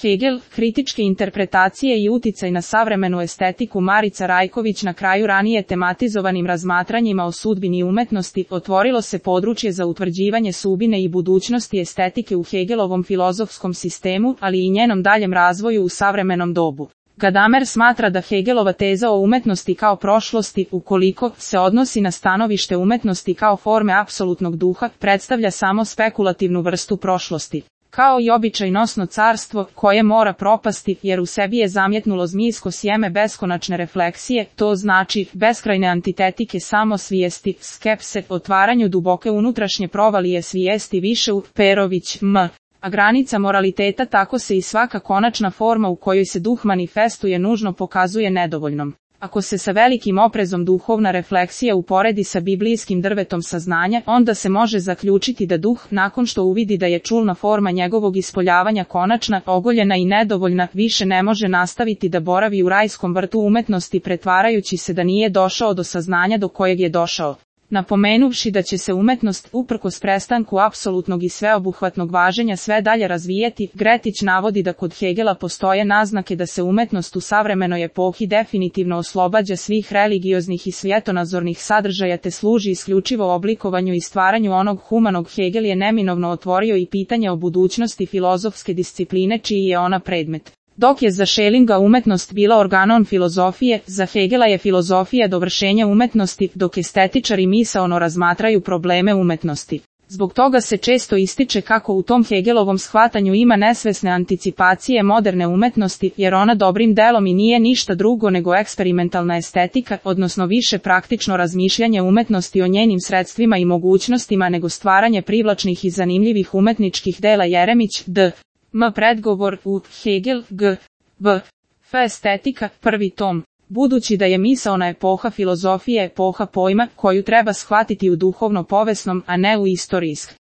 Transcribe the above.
Hegel, kritičke interpretacije i uticaj na savremenu estetiku. Marica Rajković. Na kraju ranije tematizovanim razmatranjima o sudbini umetnosti otvorilo se područje za utvrđivanje sudbine i budućnosti estetike u Hegelovom filozofskom sistemu, ali i njenom daljem razvoju u savremenom dobu. Gadamer smatra da Hegelova teza o umetnosti kao prošlosti, ukoliko se odnosi na stanovište umetnosti kao forme apsolutnog duha, predstavlja samo spekulativnu vrstu prošlosti. Kao i običajnosno carstvo, koje mora propasti, jer u sebi je zamjetnulo zmijsko sjeme beskonačne refleksije, to znači beskrajne antitetike samosvijesti, skepse, otvaranju duboke unutrašnje provalije svijesti više u Perović, a granica moraliteta tako se i svaka konačna forma u kojoj se duh manifestuje nužno pokazuje nedovoljnom. Ako se sa velikim oprezom duhovna refleksija uporedi sa biblijskim drvetom saznanja, onda se može zaključiti da duh, nakon što uvidi da je čulna forma njegovog ispoljavanja konačna, ogoljena i nedovoljna, više ne može nastaviti da boravi u rajskom vrtu umetnosti pretvarajući se da nije došao do saznanja do kojeg je došao. Napomenuvši da će se umetnost, uprkos prestanku apsolutnog i sveobuhvatnog važenja, sve dalje razvijeti, Gretić navodi da kod Hegela postoje naznake da se umetnost u savremenoj epohi definitivno oslobađa svih religioznih i svjetonazornih sadržaja te služi isključivo oblikovanju i stvaranju onog humanog. Hegel je neminovno otvorio i pitanje o budućnosti filozofske discipline čiji je ona predmet. Dok je za Schellinga umetnost bila organon filozofije, za Hegela je filozofija dovršenje umetnosti, dok estetičari misaono razmatraju probleme umetnosti. Zbog toga se često ističe kako u tom Hegelovom shvatanju ima nesvesne anticipacije moderne umetnosti, jer ona dobrim delom i nije ništa drugo nego eksperimentalna estetika, odnosno više praktično razmišljanje umetnosti o njenim sredstvima i mogućnostima nego stvaranje privlačnih i zanimljivih umetničkih dela. Jeremić, D. Predgovor u Hegel, G. B. F. Estetika, 1. tom. Budući da je misaona epoha filozofije epoha pojma, koju treba shvatiti u duhovno-povesnom, a ne u istorijskom